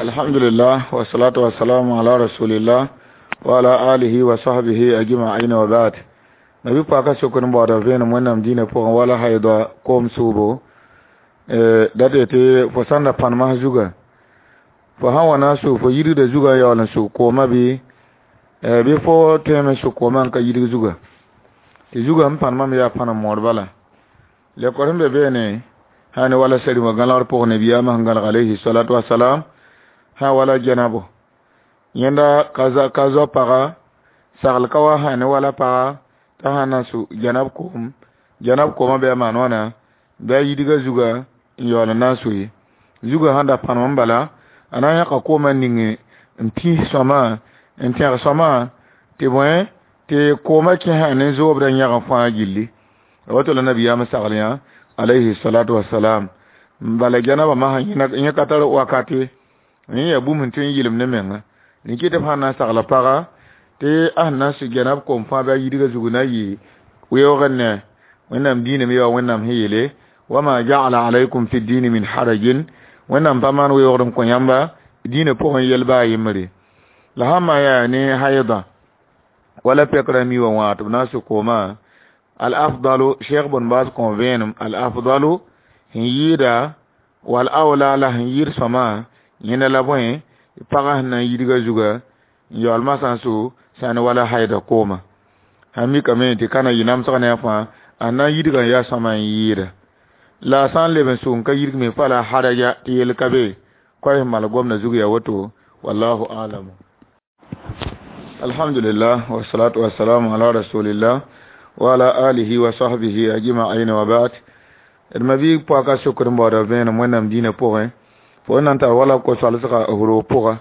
Alhamdulillah wa salatu wa salamu ala rasulillah wa ala alihi wa sahbihi ajma'in wa ba'd. Nabi paka sokr n baooda vẽenem Wẽnnaam dĩinã pʋgẽ wala haida koom sʋʋbo dat yetɩ fo sãn da pãn mas zuga fo sãn wa na n sʋg fo yidgda zugã n yaool n sʋg koomã bɩ fo tõeme n sʋg koomã n ka yidg zuga tɩ zugã sẽn pãn mam yaa pãnem moor bala lekor sẽn be beene sã ne wala sɛrmã gãlegr pʋgẽ nabiyaamã sẽn gãleg alayhi salatu wasalam sã wala jɛnabo yẽnda ka zao paga sagl ka wa sã ne wala paga t'a sã na n sʋ jɛnab koom jɛnab koomã bɩ a maan wãna bɩ a yidga zuga n yaool n na n soe zugã sãn da pãnem n bala a na n yãka koomã ning n pĩs sõama n tẽg sõama tɩ bõe tɩ koomã kẽsã ne zoobdã yãg fãa gilli woto la nabiyaam sagl yã alayhi salatu wasalam bala jɛnabã masã yẽ ka tar wakate yẽ yaa bũmb sẽn tõe n yɩlem ne menga rẽ kɩ tɩ b sãn na n sagla paga tɩ a sẽn na n sʋ jɛnab koom fãa bɩ a yidgã zug na yɩ weoog n ne Wẽnnaam diinã me yaa Wẽnnaam sẽn yeele wama ja'ala alaykum fi dini min harajin Wẽnnaam pa maan weoogd n kõ yãmba diinã pʋgẽ yɛl baa yembre la sãn maan yaa ne haida wala pɛkrã mi wã wã tɩ b na n sʋ koomã al afdalu Cheikh bun Baz kõ vẽenem al afdalu sẽn yɩɩda wal awla la sẽn yɩɩd sõma yẽnda la bõe pagã sẽn na n yidgã zuga n yaool masã n sʋ sã ne wala haida koomã sãn mikame tɩ ka na yɩ namsg ne a fãa a na n yidgã yaa sõma n yɩɩda la a sã n leb n sʋg n ka yidg me fala haraja tɩ yel ka be koɛɛ sẽn mal gomdã zug yaa woto wallahu alam. Alhamdulillah wa salatu wa salamu ala rasulillah wa ala alihi wa sahbihi ajma'in wa ba'd. D ma bi pɔka sokr n baooda vẽenem Wẽnnaam dĩinã pʋgẽ fo n na n tar wala ko-soalsgã f roog pʋga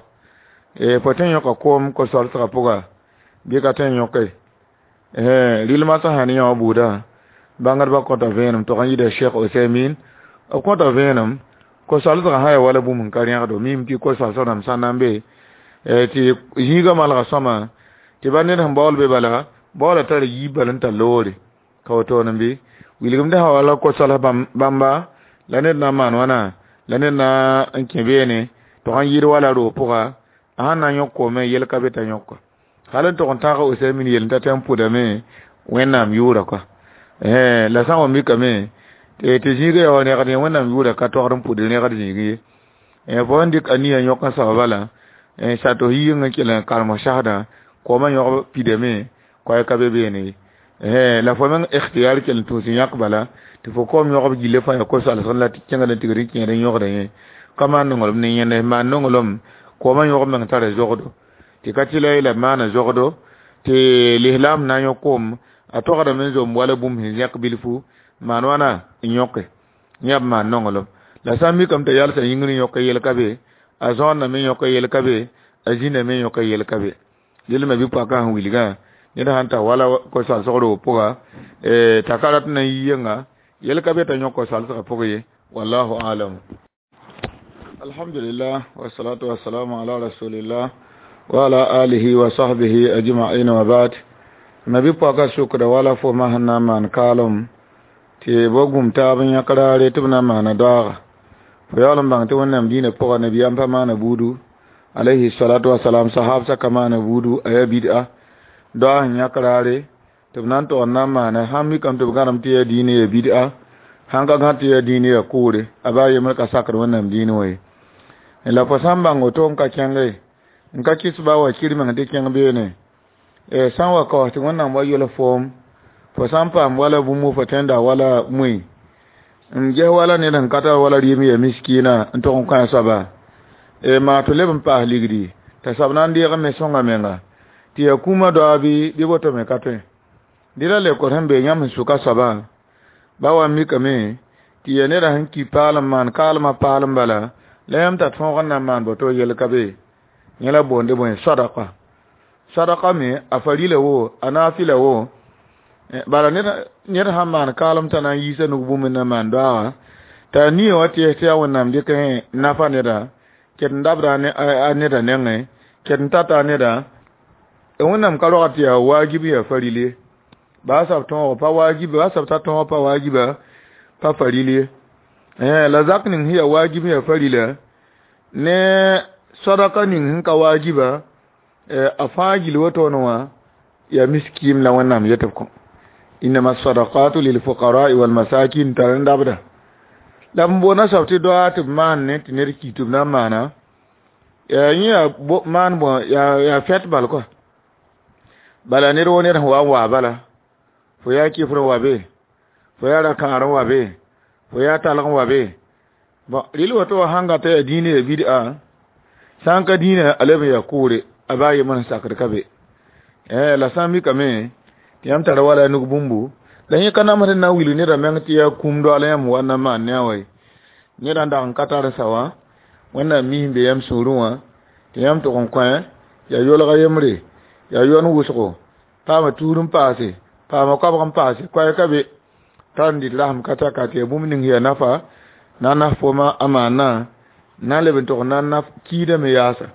fo tõe n yõka koom ko-soalsgã pʋga bɩ ka tõe n yõke rɩlmã sã sã ne yã wã buudã bãngdbã kõta vẽenem tog n yɩɩda Cheikh Osaymin b kõta vẽenem ko-soalsgã sã yaa wala bũmb n ka rẽgdo mim tɩ ko-soalsg rãmb sã n na n be tɩ zĩigã malga sõma tɩ ba ned sẽn baool be bala baoola tara yiib bala n tar loore ka wotoon n bɩ wilgemdã sã wala ko-soals bãmba la ned na n maan wãna la ned na n kẽ beene tog n yɩɩd wala roog pʋga a sãn na n yõk koomẽ yel ka be t'a yõka hal n tog n tãag Osaymin yel n ta tɩ n pʋdame Wẽnnaam yʋʋra kɔa la sã n wa mikame tɩ zĩigã yaa wa rẽgd yẽ Wẽnnaam yʋʋra ka togd n pʋd rẽgd zĩig ye fo sẽn dɩk a nia yõk n soaba bala sato yɩng n kell n karem sasdã koomã yõg pidame koɛɛ ka be beene ye la fo meng ikhtiyar kell n tũus n yãk bala tɩ fo koom yõgb gilli fãa yaa ko-soalsg la tɩ kẽngd n tigr n kẽed n yõgda yẽ ka maan nonglem ne yẽnd maan nonglem koomã yõg meng tara zogdo tɩ ka tɩ la la maana zogdo tɩ lislaam na n yõk koom a togdame n zom wala bũmb sẽn zẽk bilfu maan wãna n yõke yã b maan nonglem la sã n mikame t'a yalsã yĩngr n yõk yel ka be a zõondame n yõk yel ka be a zĩndame n yõk yel ka be dɩl me bɩ pɔkã sẽn wilgã ned sãn tar wala ko-soalsg roog pʋga t'a ka rat n na n yi yenga yel ka be t'a yõk ko-soalsgã pʋg ye wallahu alam. Alhamdulillah wa salatu wa salamu ala rasulillah wa ala alihi wa sahbihi ajma'in wa ba'd. Nabi pɔka sukda wala fo ma sẽn na n maan kaalem tɩ bo gũm taab n yãk raare tɩ b na n maana daooga fo yaool n bãng tɩ Wẽnnaam dĩinã pʋga nabiyaam pa maana buudu alayhi salatu wasalam sahabsã ka maana buudu a yaa bid'a daoog sẽn yãk raare tɩ b na n tog n na n maana sãn mikame tɩ b gãnem tɩ yaa diinã yaa bid'a sãn ka gã tɩ yaa diinã yaa kʋʋre a baa yembr ka sakd Wẽnnaam diinã wã ye la fo sã n bãng woto n ka kẽnge n ka kɩs ba wa kir meng tɩ kẽng beene sã n wa kaoos tɩ Wẽnnaam wa yel foom fo sã n paam wala bũmb fo tẽnda wala mui n ges wala ned sẽn ka tar wala rɩɩm yaa miskiina n tog n kõ a soaba maa tɩ leb n paas ligdi t'a soab na n deeg me sõnga menga tɩ yaa kũumã daoa bɩ woto me ka tõe dɩ la lekor sẽn be yãmb sẽn sʋka soabã ba wa n mikame tɩ yaa neda sẽn ki paalem maan kaalmã paalem bala la yãmb t'a tõog n na n maan boto yel ka be yẽ la boonde bõe sadaka sadaka me a farila wo a nafila wo bala ned sãn maan kaalem t'a na n yiisa nug bũmb n na maan daooga t'a nia wa tɩ tɩ yaa Wẽnnaam dɩk nafa neda ket n dabda a neda nengẽ ket n tata a neda Wẽnnaam ka rogd tɩ yaa waajib yaa faril ye baa sab tõog pa waajib baa sab t'a tõog pa waajiba pa faril ye la zak ning sẽn yaa waajib yaa farila ne Sadaka ning sẽn ka waajiba a fãa gill wotone wã yaa miskiim la Wẽnnaam yet b kõ innama sadaqatu lilfuqarai walmasakin tar n dabda la b boona soab tɩ doa tɩ b maan ne tɩ ned ki tɩ b na n maana yẽ yaa maan bõ yaa fɛt bal kɔa bala ned wo ned sẽn wa n waa bala fo yaa kɩfr n wa be fo yaa ra-kãar n wa be fo yaa talg n wa be bon rɩl woto wã sãn gata yaa dĩinã yaa bid'a sã n ka dĩinã a leb n yaa kʋʋre a baa yembr sẽn sakd ka be la sã n mikame tɩ yãmb tara wala nug bũmbu la yẽ ka namsd n na n wilg nedã meng tɩ yaa kũum doaal yãmb wa n na n maan ne a wa ye ned n dag n ka tar n sa wã Wẽnnaam mis n be yãmb sũurẽ wã tɩ yãmb tʋg n kõ yaa yolga yembre yaa yon wʋsgo paama tuur n paase paama koabg n paase koɛɛ ka be tar n dɩt rasem ka taka tɩ yaa bũmb ning yaa nafa na n naf fooma a maana na n leb n tʋg n na n naf kiidame yaasa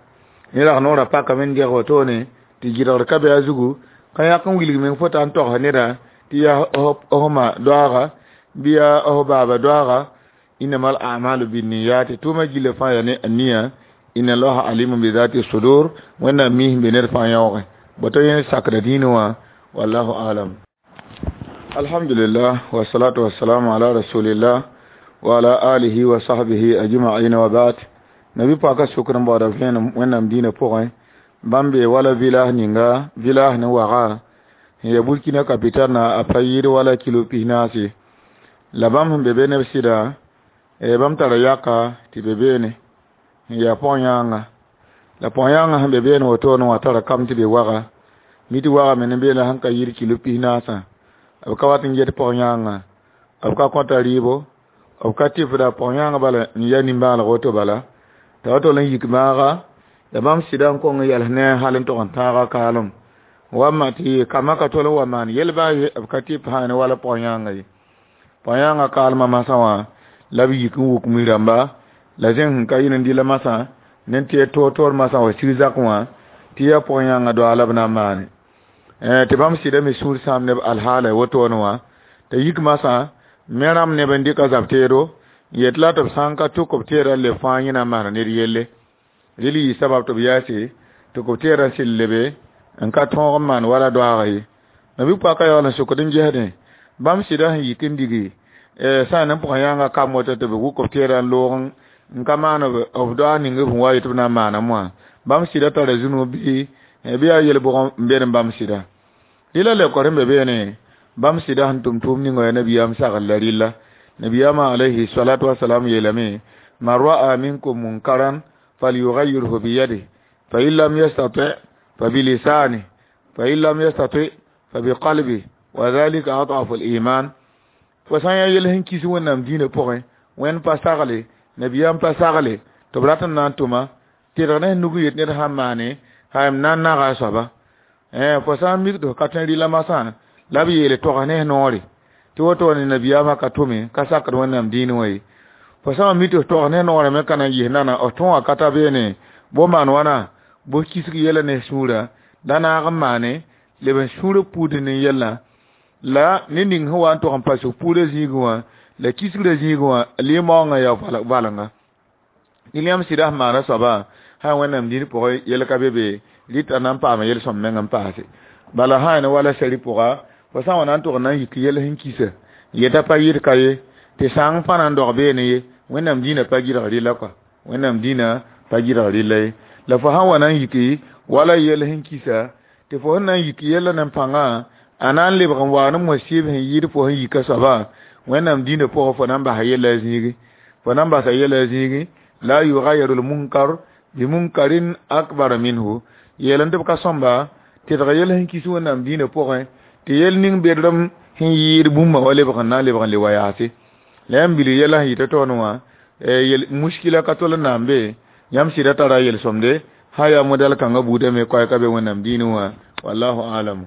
yẽ rag noorã pakame n deg wotone tɩ gɩdgr ka be a zugu ka yãk n wilg meng fo t'a n togs neda tɩ yaa f ma doaaga bɩ yaa f baaba doaaga innamal a'malu binniyati tʋʋma gilla fãa yaa ne a nia inna allaha alimun bi zati sudur Wẽnnaam mis n be ned fãa yãoogẽ boto yẽ sakda dĩinã wã wallahu alam. Alhamdulillah wassalatu wassalamu ala rasulillah wa ala alihi wa sahbihi ajma'in wa ba'd. Nabi paka sukr n baooda vẽenem Wẽnnaam dĩinã pʋgẽ bãmb be wala village ninga village ne waga n ya Burkina capital na a pa yɩɩd wala kilo 14 la bãmb sẽn be be neb sɩda bãmb tara yaka tɩ be beene n yaa pɔg-yãanga la pɔg-yãangã sẽn be beene wotone wã tara kam tɩ be waga mi tɩ waga me ne beene sẽn ka yɩɩd kilo 14 b ka wat n get pɔg-yãangã b ka kõta rɩɩbo b ka tɩfda pɔg-yãangã bala n ya nimbãaneg woto bala t'a wa tol n yik maaga la bãmb sɩda n kong n yals ne a hal n tog n tãaga kaalem wa ma tɩ kambã ka tol n wa maan yel baa ye b ka tɩp sã ne wala pɔg-yãangã ye pɔg-yãangã kaalmã masã wã la b yik n wuk mi-rãmba la zẽng sẽn ka yɩl n dɩla masã ne tɩ toor-toor masã wa sig zak wã tɩ yaa pɔg-yãangã doa la b na n maane tɩ bãmb sɩda me sũur sãam neb alhaala wotone wã t'a yik masã me rãmb neb n dɩka zab teedo n yet la tɩ b sã n ka tʋk b teedã n leb fãa yẽ na n maana ned yelle rɩl yɩ sabab tɩ b yaase tɩ b teedã n sɩl lebe n ka tõog n maan wala doaaga ye nabi-poakã yaool n sokd n gesdẽ bãmb sɩda sẽn yik n digi sã n ne pʋgã yãanga kam woto tɩ b wʋk b teedã n loog n ka maan b doaag ning b sẽn wa yet b na n maaname wã bãmb sɩda tara zũnu bɩ yaa yel-bʋg n bed n bãmb sɩda rɩla lekor sẽn be beene bãmb sɩda sẽn tʋm tʋʋm ninga yaa nabiyaam sagl la rɩlla nabiyaamã alayhi salatu wasalam yeelame man ra'a minkum munkaran falyughayyirhu biyadihi fa in lam yastati fa bilisanihi fa in lam yastati fa biqalbihi wa dhalika ad'afu al-iman fo sã n yaa yel sẽn kis Wẽnnaam dĩinã pʋgẽ Wẽnd pa sagle nabiyaam pa sagle tɩ b rat n na n tʋma tɩdg ne nug n yet ned sãn maane m na n naga a soaba fo sã n mik tɩ f ka tõe rɩla masã la b yeele togs ne noore tɩ woto ne nabiyaamã ka tʋme ka sakd Wẽnnaam dĩinã wã ye fo sã n mi tɩ f togs ne noorã me ka na n yis nana f tõogã ka ta beene bo maan wãna bo kisg yɛla ne sũurã da naag n maane leb n sũurã puudẽ ne yɛlã la ne ning sẽn wa n tog n pa sg puurã zĩigẽ wã la kisgrã zĩigẽ wã lɩ-maoongã yaa valenga rɩl yãmb sɩda sẽn maana soaba sã Wẽnnaam dĩin pʋgẽ yɛl ka be be rɩta na n paama yel-sõm meng n paase bala sã ne wala sɛri pʋga fo sã n wa na n tʋg n na n yik yɛl sẽn kisa yeta pa yɩd ka ye tɩ sãng pa na n dog beene ye Wẽnnaam dĩinã pa gɩdg rɩla kɔa Wẽnnaam dĩinã pa gɩdg rɩla ye la fo sãn wa na n yiki wala yɛl sẽn kisa tɩ fo sẽn na n yik yɛllã ne pãngã a na n lebg n wa ne mosɩb sẽn yɩɩd fo sẽn yika soabã Wẽnnaam dĩinã pʋgẽ fo na n basa yɛla zĩigi fo na n basa yɛla zĩigi la yughayyiru lmunkar bimunkarin akbar minhu yeel n tɩ b ka sõmba tɩdg yɛl sẽn kis Wẽnnaam dĩinã pʋgẽ tɩ yɛl ning bedrem sẽn yɩɩd bũmba wa lebg n na n lebg n le wa yaase la yãmb bilg yɛla sẽn yɩta toone wã yel muskila ka tol n na n be yãmb sɩda tara yel-sõmde sã yaa modɛl kãngã buudame koɛɛ ka be Wẽnnaam dĩinã wã wallahu alam.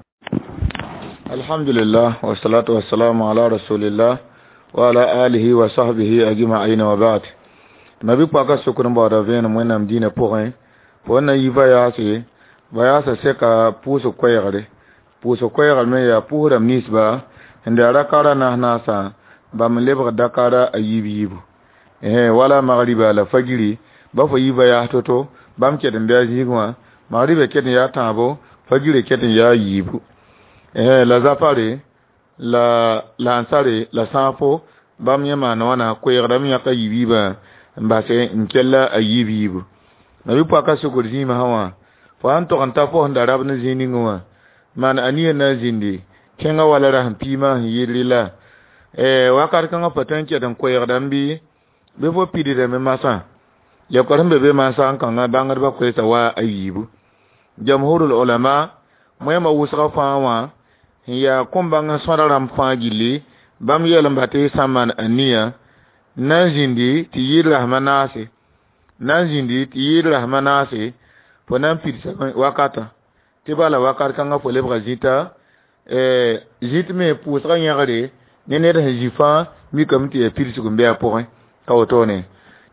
Alhamdulillah wassalatu wassalamu ala rasulillah wa ala alihi wa sahbihi ajma'in wa ba'd. Nabi-poakã sokd n baooda vẽenem Wẽnnaam dĩinã pʋgẽ fo na yi va yaase ba yaasa sɛka pʋʋsg koɛɛgre pʋʋsg koɛɛgr me yaa pʋʋs rãmb ninsba sẽn daa rakara naas-naasã bãmb n lebg dakara a yiib yiibu wala magriba la fajiri ba fo yi va yaas to-to Bãmb ket n bɩ a zĩig wã magriba ket n yaa tãabo fajirã ket n yaa yiibu la zafare la lansare la sãafo bãmb yẽ maan wãna koeegdame yãk a yiib-yiibã n base n kella a yiib-yiibu nabi paka sukr zĩimã sã wã fo sãn tog n ta fo sẽn da rab ne zĩig ning wã maan aniya na n zĩndi kẽngã wala ra sẽn piimã sẽn yɩɩd rɩla wakat kãngã fo tõe n ket n koeegdame bɩ bɩ fo pidsdame masã lekor sẽn be be mansã n kãngã bãngdbã koeesa wa a yiibu jamhurul ulama moẽmã wʋsgã fãa wã n yaa kõ-bãng n sõda rãmb fãa gilli bãmb yɛl n ba tɩ sã n maan aniya na n zĩndi tɩ yɩɩd rasem naase na n zĩndi tɩ yɩɩd rasem naase fo na n pidsame wakatã tɩ bala wakat kãngã fo lebga zĩta zĩt me pʋʋsgã yẽgre ne ned sẽn zĩ fãa mikame tɩ yaa pidsg n be a pʋgẽ ka wotone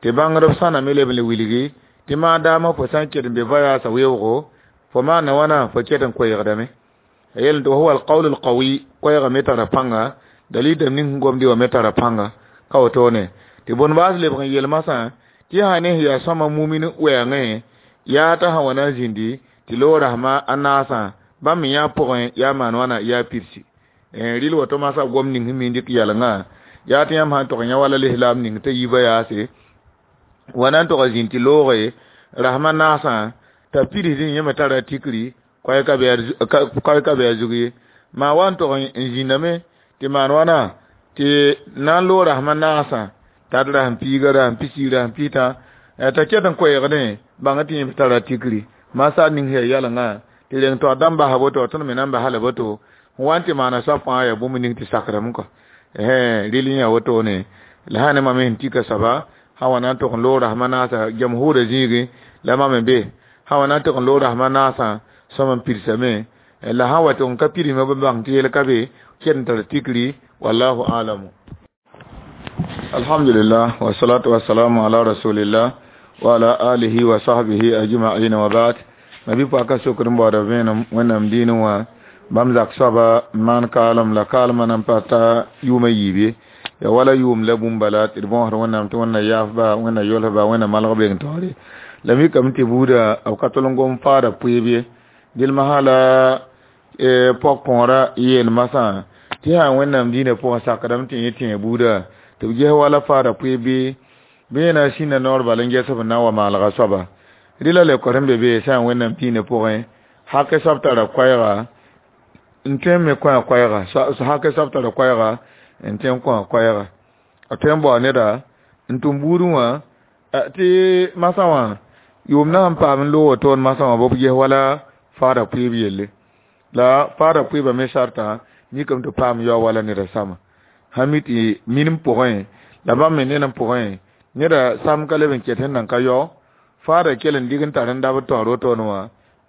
tɩ bãngdb sãname leb n le wilgi tɩ maadaamã fo sã n ket n be voyaasã weoogo fo maana wãna fo ket n koeegdame a yel tɩ huwa alqawl alqawi koɛɛgã me tara pãnga dalil dãmb ning sẽn gomdɩ wã me tara pãnga ka wotone tɩ bõn baas lebg n yel masã tɩ sã ne sẽn yaa sõma mumin wɛɛngẽ yaa t'a sã wa na n zĩndi tɩ loog rasma a naasã bãmb me yã pʋgẽ yaa maan wãna yaa pidsi rɩl woto masã gom ning sẽn mi n dɩk yalengã yaa tɩ yãmb sã n tog yã wala lislaam ning t'a yiibã yaase wa na n tog zĩnd tɩ looge rasma naasã t'a pidsdẽ yẽ me tara tikri koɛɛ ka bɩ a zug ye maa wa n tog n zĩndame tɩ maan wãna tɩ na n loog rasma naasã t'a d rasem piiga rasem pisi rasem pita t'a ket n koɛɛgdẽ bãng tɩ yẽ me tara tikri masaar ning sẽn yaa yalengã tɩ reng tɩ dãmb basa boto tõnd me na n basa la boto n wa n tɩ maana soab fãa yaa bũmb ning tɩ sakrame kɔ rɩl yẽ yaa wotone la sã ne mam sẽn tika soaba sã wa na n tog n loog rasma naasã jamhurã zĩigẽ la mam n be sã wa na n tog n loog rasma naasã sõm n pidsame la sã wa tɩ n ka pidsme b bãng tɩ yel ka be ket n tar tikri wallahu alamu alhamdulillah wasalatu wasalamu ala rasulillah wa ala alihi wa sahbihi ajma'in wa ba'd nabi paka sokr n baooda vẽenem wẽnnaam dĩinẽ wã bãmb zak soaba n maan kaalem la kaalmã nan pa ta yʋʋmã yiib ye ya wala yʋʋm la bũmb bala tɩ d bõosd wẽnnaam tɩ wẽnna yaafba wẽnna yolsba wẽnna malg beng taoore la mikame tɩ buuda b ka tol n gom faada pʋɩb ye dɩl masã la pɔg-kõorã yeel masã tɩ sã wẽnnaam dĩinã pʋgẽ sakdame tɩ yẽ tẽe buuda tɩ b ges wala faada pʋɩb bɩ bɩ yẽ na n sĩnda noor bal n ges b na n wa maalga soaba rɩla lekor sẽn be be sã n wẽnnaam dĩinã pʋgẽ hake soab tara koɛɛga n tõe n me kõ a koɛɛga hake soab tara koɛɛga n tõe n kõ a koɛɛga a tõe n bao neda n tʋm buudẽ wã tɩ masã wã yʋʋm na sẽn paam n loog wotoon masã wã b ges wala faada pʋɩb yelle la faada pʋɩbã me sartã mikame tɩ paam yao wala neda sama sã mi tɩ minim pʋgẽ la bãmb me ned n pʋgẽ neda sam ka leb n ket sẽn nan ka yao faada kell n dig n tar n dabd taoor wotone wã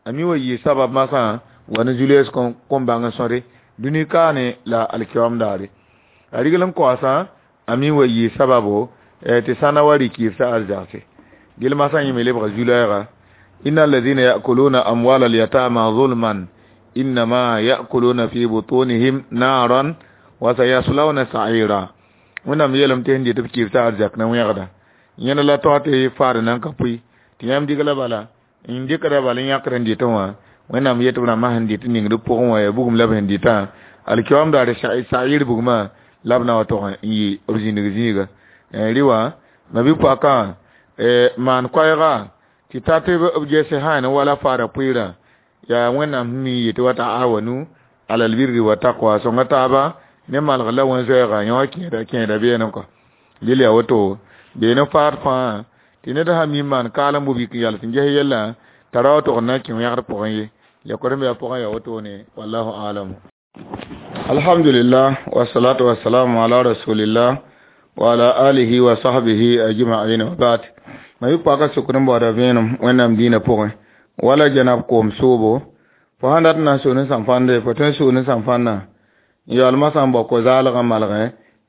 a mi wa yɩɩ sabab masã wa ne Julius kom-bãng n sõde dũni kaane la alkiyoam daare a rigl n kaoosã a mi wa yɩɩ sababo tɩ sãna wa rɩk yɩɩb sa arzagse gel masã yẽ me lebga zu-lɛɛga inna alladhina ya'kuluna amwal al-yatama zulman innama ya'kuluna fi butunihim naran wa sayaslawna sa'ira wẽnnaam yeelame tɩ sẽn dɩt b kɩɩb t'a arzak na wẽgda yẽnd la tao tɩ faad nan ka pʋɩ tɩ yãmb dɩgla bala n dɩkda bala n yãkd n dɩtẽ wã wẽnnaam yet b rãmbã sẽn dɩt n ningd pʋgẽ wã yaa bugum la b sẽn dɩtã alkiyoam daare sa'ir bugmã la b na wa tog n yɩ b zĩnig zĩiga rɩ wã mabi-poakã maan koɛɛga tɩ ta tɩ b gese sã ne wala faada pʋɩɩrã yaa wẽnnaam sẽn mi n yetɩ wa ta'awanu alal birri wa taqwa sõnga taaba ne malg la wẽn-zoɛɛga yã wã kẽeda beene kɔ dɩl yaa woto beene faad fãa tɩ ned sã mi n maan kaalem bubik n yals n ges yellã t'a ra wa tog n na n kẽ wẽgd pʋgẽ ye lekor sẽn be a pʋgẽ yaa wotone wallahu alamu alhamdulillah wasalatu wasalamu ala rasulillah wa ala alihi wa sahbihi ajma'in wa ba'd ma yɩ paka sokd n baooda vẽenem wẽnnaam dĩinã pʋgẽ wala janab koom soobo fo sãn dat n na n soo ne sãn-fãnde fo tõe n soo ne sãn-fãndã n yaool masã n bao ko-zaalg n malgẽ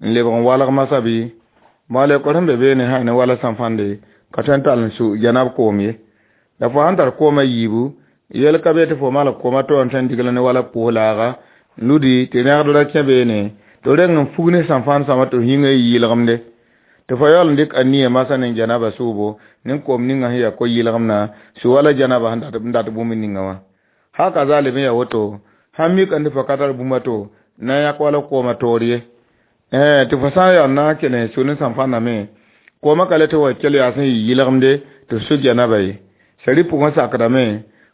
n lebg n walg masã bɩ maa lekor sẽn be beene sã ne wala sãn-fãnde ka tõe n tall n su janab koom ye la fo sãn tar koomã yiibu yel ka be tɩ fo malg koomã tɩ wa n tõe n digl ne wala pʋʋs-laaga n ludi tɩ rẽgd ra kẽ beene tɩ reng n fug ne sãn-fãnd sõma tɩ f yĩngã yɩ yɩlgemde tɩ fo yaool n dɩk a nia masã ne janaba soobo Nin koom ninga sẽn yaa ko-yɩlgemdã su wala janaba sẽn dat bũmb ninga wã. Haka zaa leb n yaa woto, sãn mika tɩ fo ka tar bũmb a to na n yãk wala koomã toor ye. Tɩ fo sã n yaa na n kell n su ne sãnfãnda me, koomã ka le tɩ wa kell yaa sẽn yɩ yɩlgemde tɩ f su janaba ye. Sari pʋgẽ sakdame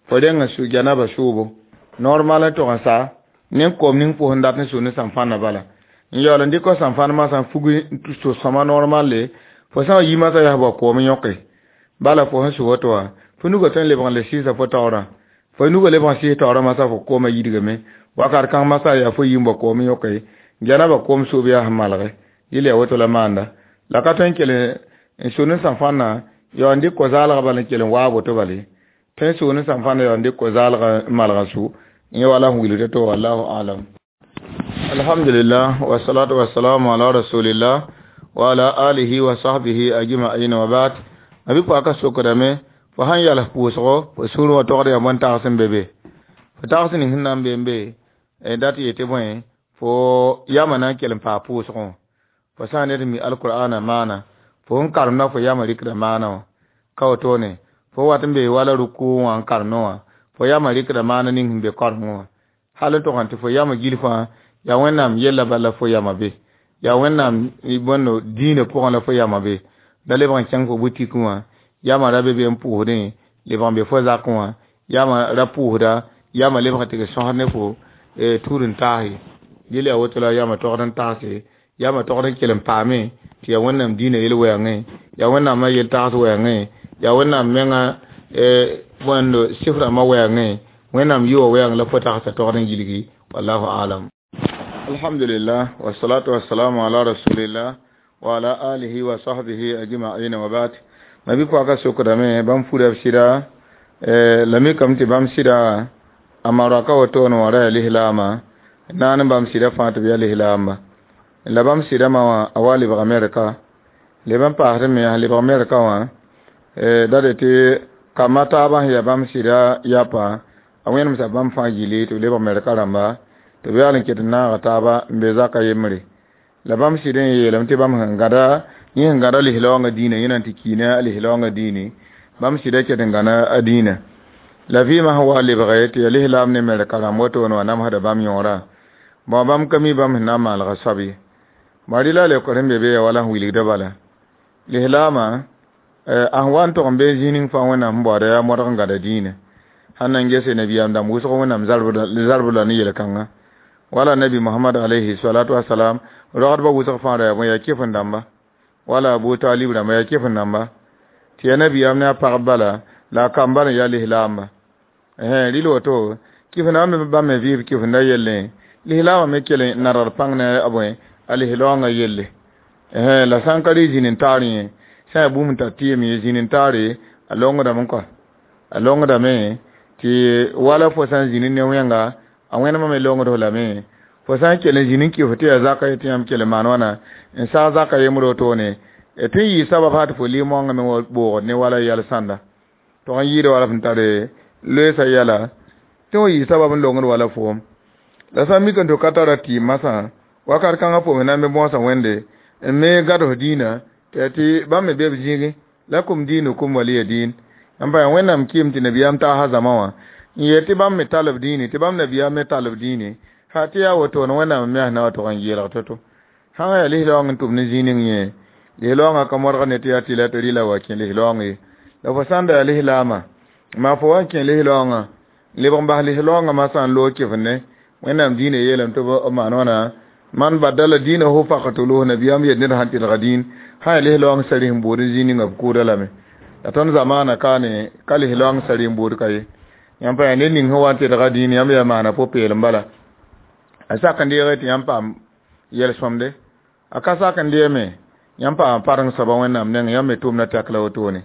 fo reng n su janaba sʋʋbo. Normal n tog n sa ne koom ning pʋs n dat n su ne sãnfãnda bala. N yaool n dɩk sãnfãnd masã n fug n sõma normal le, fo sã n yi masã yaa bao koom yõke. Bala fo sẽn su woto wã, fo nugã tõe n lebg n le sɩɩsa fo taoorã. Fo nugã lebg n sɩɩs taoorã masã fo koomã yidgame. Wakat kãng masã yaa fo yi n bao koom yõke. Janaba koom sʋʋb yaa sẽn malge. Yɩl yaa woto la maanda. La ka tõe n kell n su ne sãnfãnda yaool n dɩk ko-zaalgã bala n kell n waab woto bala ye. Tõe n sʋʋ ne sãnfãnda yaool n dɩk ko-zaalgã n malg n su. Yẽ wala sẽn wilgd to wallahu alam. Alhamdulillah wa salatu wa salamu ala rasulillah wa ala alihi wa sahbihi ajma'in wa ba'd. Abi paka sokdame fo sãn yals pʋʋsgo fo sũur wã togd yaa bõn tags n be be. Fo tags ning sẽn na n be n be dat yetɩ bõe fo yama na n kell n paa pʋʋsgõ wã. Fo sã n ned n mi alqur'ana maana, fo sẽn karemda fo yama rɩkda maana wã. Ka wotone fo wat n be wala ruku wã n karemdẽ wã, fo yama rɩkda maana ning sẽn be karengẽ wã. Hal n tog n tɩ fo yama gil fãa yaa Wẽnnaam yella bala fo yama be. Yaa Wẽnnaam bõndo dĩinã pʋgẽ la fo yama be. Da lebg n kẽng fo butik wã, yama ra be be n pʋʋsdẽ, lebg n be fo zakẽ wã, yama ra pʋʋsda, yama lebg n tɩ sõsd ne fo tuur n taase. Yel yaa woto la yama togd n taase, yama togd n kell n paame tɩ yaa Wẽnnaam dĩinã yel-wɛɛngẽ, yaa Wẽnnaamã yel-tags wɛɛngẽ, yaa Wẽnnaam menga bõndo sɩf rãmbã wɛɛngẽ, Wẽnnaam yʋa wɛɛng la fo tagsa togd n yilgi. Wallahu alam. Alhamdulillah wa salatu wa salamu ala rasulillah wa ala alihi wa sahbihi ajma'in wa ba'd. Mabi pɔka sokdame bãmb fura b sɩda la mikame tɩ bãmb sɩda a maraka wotone wã ra yaa lislaama naan n bãmb sɩda fãa tɩ b yaa lislaamba. La bãmb sɩdãmã wã a wa lebg Amerika. Leb n paasd me sẽn lebg Amerika wã da de tɩ kambã taabã sẽn yaa bãmb sɩda yapa a wẽnemsa bãmb fãa gilli tɩ b lebg Amerika rãmba tɩ b yaal n ket n naaga taaba n be zaka yembre. La bãmb sɩd n yeelame tɩ bãmb sẽn gãda yẽ sẽn gãda lislaoongã dĩinã yẽna tɩ kiina a lislaoongã dĩini bãmb sɩda ket n gãna a dĩinã. La vɩɩmã sẽn wa lebge tɩ yaa lislaam ne Amerika rãmb wotone wã namsda bãmb yõorã. Bõ bãmb ka mi bãmb sẽn na n maalga soab ye. Bõ rɩla leokr sẽn be be yaa wala sẽn wilgda bala. Lislaamã a sẽn wa n tog n be zĩig ning fãa Wẽnnaam sẽn baooda yaa modg n gãda dĩinã. Sãn na n gese nabiyaam dãmb wʋsg Wẽnnaam zarbd la ne yel-kãngã. Wala nabi Muhammad alayhi salatu wa salam rogdbã wʋsg fãa ra yaa bõe yaa kɩf n dãmba. Wala Abu Talib rãmba yaa kɩf n dãmba. Tɩ yaa nabiyaam ne a pagb bala la a kamba n yaa lislaamba. Rɩl woto kɩf n me bãmb me vɩɩb kɩf n da yellẽ lislaamã me kell n nadgd pãng ne a bõe a lislaoongã yelle. La sã n ka rɩ zĩn n taar yẽ sã n yaa bũmb n tar tɩɩm ye zĩn n taare a longdame kɔa. A longdame tɩ wala fo sã n zĩnd ne wẽnga a wẽnemã me longd f lame. Fo sã n kell n zĩnd n kɩf tɩ yaa zaka ye tɩ yãmb kell n maan wãna n saag zaka yembr wotone tɩ n yɩ sabab sã tɩ fo lim-wãngã me wa boogd ne wala yɛl sãnda. Tog n yɩɩda wala f n tare loeesa yɛla tɩ wa yɩ sabab n longd wala foom. La sã n mik n tɩ ka tara tɩɩm masã wakat kãngã fo me na n me bõosa Wẽnde n me gãd f dĩinã tɩ bãmb me be b zĩigẽ lakum diinukum waliya diin. N pa yaa Wẽnnaam kɩɩm tɩ nabiyaam taasa zãma wã n yeel tɩ bãmb me tall b dĩini tɩ bãmb nabiyaam me tall b dĩini ha tɩ yaa wotone Wẽnnaam me na wa tog n yeelg to-to. Sã n yaa lislaoong n tʋm ne zĩig ning yẽ lislaoongã ka modg ne tɩ yaa tɩ la tɩ rɩla wa kẽ lislaoong ye. La fo sã n da yaa lislaamã maa fo wa n kẽ lislaoongã lebg n bas lislaoongã masã n loog kɩf ne Wẽnnaam dĩinã yeelame tɩ b maan wãna man badala dĩinahu faqtuluhu nabiyaam yet ned sãn tɩlga dĩin sã yaa lislaoong sari sẽn bood n zĩig ninga b kʋʋda lame. La tõnd zamaana kaane ka lislaoong sari n bood ka ye. Yãmb pa yaa ned ning sẽn wa n tɩlga dĩin yãmb yaa maana pʋ-peelem bala. A sak n deege tɩ yãmb paam yɛl-sõmde. A ka sak n deeme yãmb paam pareng soaba Wẽnnaam nengẽ yãmb me tʋʋmda tɛk la wotone.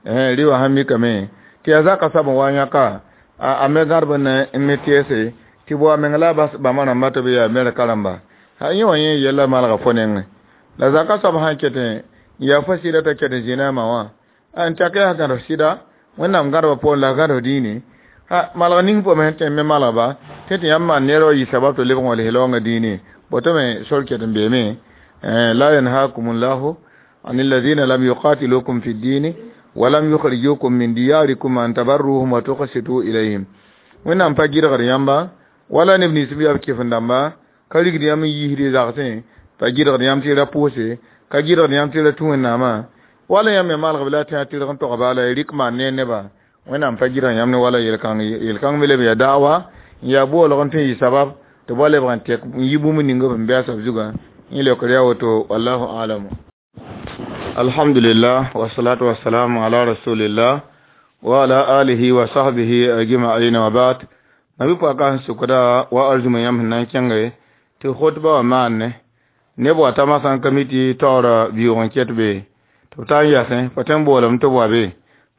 Rɩ wã sãn mikame tɩ yaa zaka soab n wa yãka a me gãdb n me tɛɛse tɩ bo a meng la a bas bãmba rãmba tɩ b yaa Amerika rãmba. Ha yẽ wã yẽ yella malga fo nengẽ. La zaka soab sãn ket n yaa fo sɩda t'a ket n zĩna a ma wã n tak yaa gãd f sɩda Wẽnnaam gãdba poorẽ la gãd f dĩini ha malg ning fo me sẽn tõe n me malgba tɩ tɩ yãmb maan neer wa yɩ sabab tɩ lebg n wa lislaoongã dĩini boto me sor ket n beeme. La yanhakum llahu an alladhina lam yuqatilukum fi ddini Walam yukhrijukum min diyarikum an tabarruhum wa tuqsitu ilayhim. Wẽnnaam pa gɩdgd yãmba wala neb nins b yaa b kɩf-n-dãmba ka rigd yãmb n yiisd y zagsẽ pa gɩdgd yãmb tɩ y ra pʋʋse ka gɩdgd yãmb tɩ y ra tũ Wẽnnaamã wala yãmb me malg b la tẽ a tɩrg n togba la y rɩk maan ne nebã Wẽnnaam pa gɩdg yãmb ne wala yel-kãng ye yel-kãng me leb n yaa da'wa n yaa boolg n tõe n yɩ sabab tɩ b wa lebg n tek n yi bũmb ning b sẽn bɛɛsa b zugã yẽ leokr yaa woto wallahu alamu. Alhamdulillah wasalatu wasalamu ala rasulillah wa ala alihi wa sahbihi ajma'in wa ba'd. Mabi pɔka sẽn sʋkda wa arzũma yãmb sẽn na n kẽnge tɩ khotba wã maanne neb wa tama sã n ka mi tɩ taoora biʋʋg n ket be tɩ b taa n yasẽ fo tõe n boolame tɩ b wa be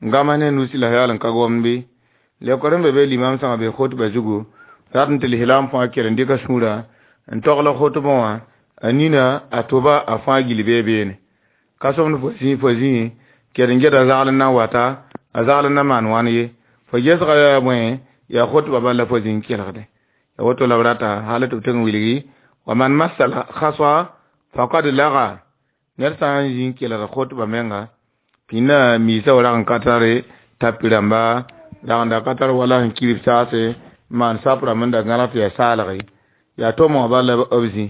n gãms ne nusi la yaal n ka gomd bɩ leokr n be be limam sãnga be khotba zugu rat n tɩ lislaam fãa kel n dɩka sũurã n togl khotbã wã a nina a toba a fãa gil bee beene ka sõmd fo zĩ fo zĩ ked n geta zagl n na n wata a zagl n na maan wãn ye fo gesga yaa bõe yaa khotba bal la fo zĩ n kelgde ya woto la b rata hal tɩ b tɩg n wilgi wa man massa khaswa faqad laga ned sã n zĩ n kelg khotba menga pĩnda miisa wa rag n ka tare tapi rãmba rag n da ka tar wala sẽn kirb saase maan sap rãmb n da gãlg tɩ yaa saalge yaa tʋm wã bal la b zĩ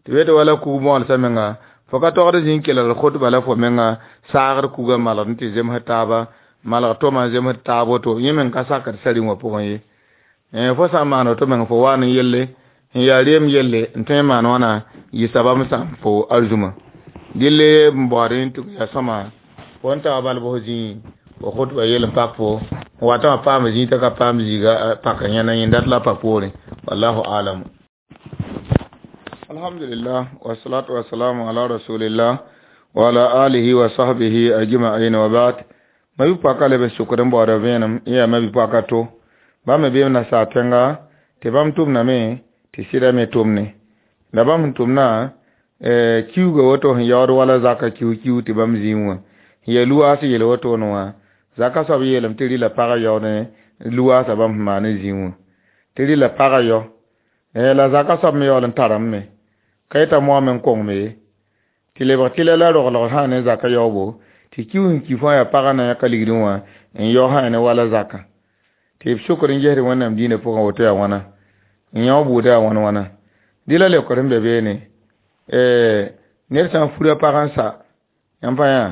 tɩ b yetɩ wala kug mõolsã menga fo ka togd zĩ n kelgd khotba la fo menga saagd kugã malgd n tɩ zemsd taaba malg tʋma n zemsd taab woto yẽ meng ka sakd sari wã pʋgẽ ye fo sã n maan woto meng fo waan n yelle n yaa reem yelle n tõe n maan wãna yɩ sabab n sãam fo arzũma dɩlle n baood tɩ yaa sõma fo n taa bal bʋs zĩ fo khotba yel n pak fo n watã wã paam zĩ t'a ka paam zĩiga pak yẽna yẽnda dat la pa poorẽ wallahu alam. Alhamdulillah wassalatu wassalamu ala rasulillah wa ala alihi wa sahbihi ajma'in wa ba'd. Mabi pɔka leb n sʋkd n baooda vẽenem n yaa mabi pɔka to bãmb me beem nasaar tẽnga tɩ bãmb tʋmdame tɩ sɩda me tʋmne la bãmb sẽn tʋmna kiuga woto sẽn yaood wala zaka kiu-kiu tɩ bãmb zĩig wã sẽn yaa luwaas yel wotone wã zaka soab yeelame tɩ rɩla pagã yaood luwaasã bãmb sẽn maan n zĩig wã tɩ rɩla pagã yao la zaka soab me yaool n tarame me ka yeta moame n kongme ye tɩ lebg tɩla la roglg sã ne zaka yaoobo tɩ kiu sẽn ki fãa yaa pagã na yãka ligdẽ wã n yao sã ne wala zaka tɩ b sʋkr n gesd Wẽnnaam dĩinã pʋgẽ woto yaa wãna n yão buudã yaa wãn wãna dɩ la leokr n be beene ned sã n fura pag n sa yãmb pa yã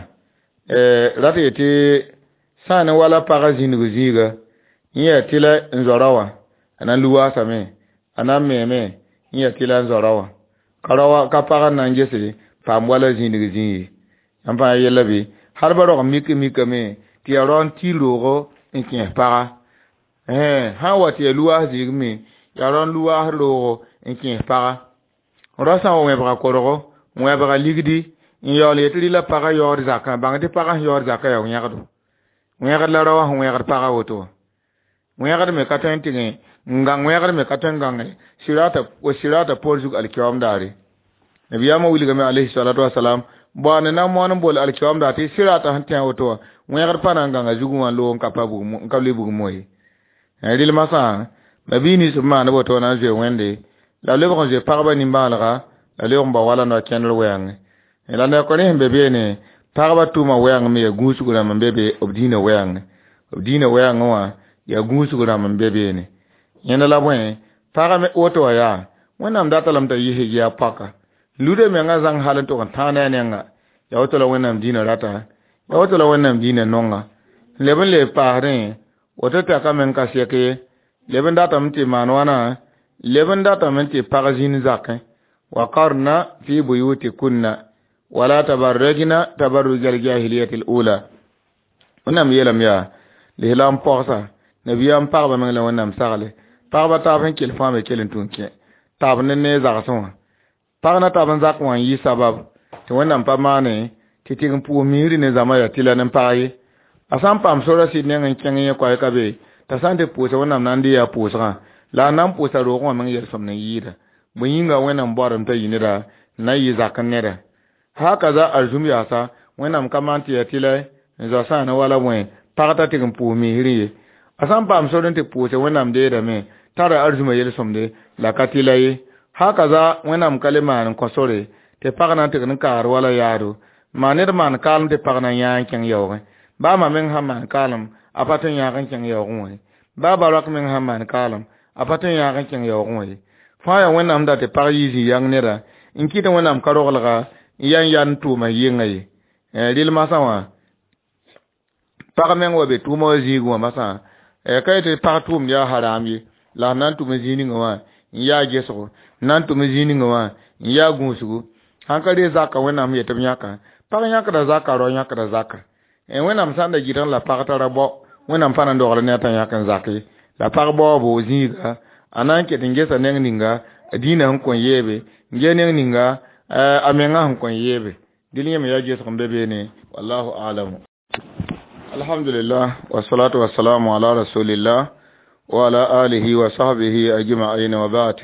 rat yetɩ sã ne wala pagã zĩndg zĩiga n yaa tɩla n zao rao wã a na n luwaasame a na n meeme n yaa tɩla n zao rao wã ka rao ka pagã n na n gese paam wala zĩndg zĩig ye yãmb pa yã yella bɩ hal ba rog mik mikame tɩ yaa rao n tɩ roogo n kẽes paga sã n wa tɩ yaa luwaas zĩig me yaa rao n luwaas roogo n kẽes paga rao sã n wa wẽbga korgo n wẽbga ligdi n yaool yetɩ rɩla pagã yaood zakã bãng tɩ pagã sẽn yaood zakã yaa wẽgdo wẽgd la rao wã sẽn wẽgd pagã woto wã wẽgd me ka tõe n tɩ n gãng wẽgd me ka tõe n gãnge sirata poor zug alkiwaam daare nabiyaamã wilgame alayhi salatu wasalam baoand na n moon n bool alkiwaam daar tɩ sirata sẽn tẽ woto wã wẽgd pa na n gãnga zugẽ wã n loog n ka pa n ka le bugum ye rɩl masã mabii nins b maand woto na n zoe wẽnde la lebg n zoe pagba nimbãanega la lebg n bao wala noa kẽndr wɛɛngẽ la neokr rẽ sẽn be beene pagba tʋʋma wɛɛng me yaa gũusg rãmb n be be b dĩinã wɛɛngẽ b dĩinã wɛɛngẽ wã yaa gũusg rãmb n be beene yẽnda la bõe pagã me woto wã yaa Wẽnnaam data lame t'a yisg yaa paka luda menga zãng hal n tʋg n tãag ne a nengã yaa woto la Wẽnnaam dĩinã rata yaa woto la Wẽnnaam dĩinã nonga leb n leeb paasdẽ woto tɛka meng ka sɛk ye leb n datame tɩ maan wãna leb n datame tɩ pag zĩnd zakẽ wa qarna fi buyutikunna wala tabarrajna tabarruj aljahiliyati alula Wẽnnaam yeelame yaa lislaam pɔgsa nabiyaam pagba meng la Wẽnnaam sagle pagba taab sẽn kell fãa me kell n tũ n kẽ taab ne ne zagsẽ wã pag na tab n zak wã n yɩ sabab tɩ Wẽnnaam pa maane tɩ tɩg n pʋʋs misri ne zãma yaa tɩla ne pag ye a sã n paam sora sɩd neng n kẽng yẽ koɛɛka be t'a sã n tɩ pʋʋsa Wẽnnaam na n dɩ yaa pʋʋsgã la a na n pʋʋsa roogẽ wã meng yel-sõmd n yɩɩda bõe yĩnga Wẽnnaam baoodame t'a yɩ neda n na n yɩ zak n neda hakaza arzũm yaasa Wẽnnaam ka maan tɩ yaa tɩla n zao sã ne wala bõe pag t'a tɩg n pʋʋs misrẽ ye a sã n paam sor n tɩ pʋʋse Wẽnnaam deedame tara arzũmã yel-sõmde la ka tɩla ye hakaza Wẽnnaam ka le maan n kõ sore tɩ pag na n tɩg n kaagd wala yaado maan ned maan kaalem tɩ pag na n yãa n kẽng yaoogẽ Baa ma meng sãn maan kaalem, a pa tõe n yãag n kẽng yaoogẽ wã ye. Baa ba-roak meng sãn maan kaalem, a pa tõe n yãag n kẽng yaoogẽ wã ye. Fãa yaa Wẽnnaam dat tɩ pag yɩ zĩ yãng neda n kɩt Wẽnnaam ka roglga n yaa n yaa n tʋʋma yɩnga ye. Rɩl masã wã, pag meng wa be tʋʋma wã zĩigẽ wã masã, ka yetɩ pag tʋʋmd yaa haram ye, la sẽn na n tʋm zĩig ninga wã n yaa gesgo, n na n tʋm zĩig ninga wã n yaa gũusgu. Sãn ka ree zaka Wẽnnaam yetɩ b yãka, pag yãkda zaka, rao yãkda zaka. Wẽnnaam sã n da gɩdg la pag tara bao, Wẽnnaam pa na n dogl ne a t'a yãk n zak ye. La pag baoobo zĩiga, a na n ket n gesa neng ninga a dĩinã sẽn kõn yeebe, n ges neng ninga a menga sẽn kõn yeebe. Dɩl yẽ me yaa gesg n be beene, wallahu alamu. Alhamdulillah, wassalatu wassalamu ala rasulillah wa ala alihi wa sahbihi ajma'in wa ba'd.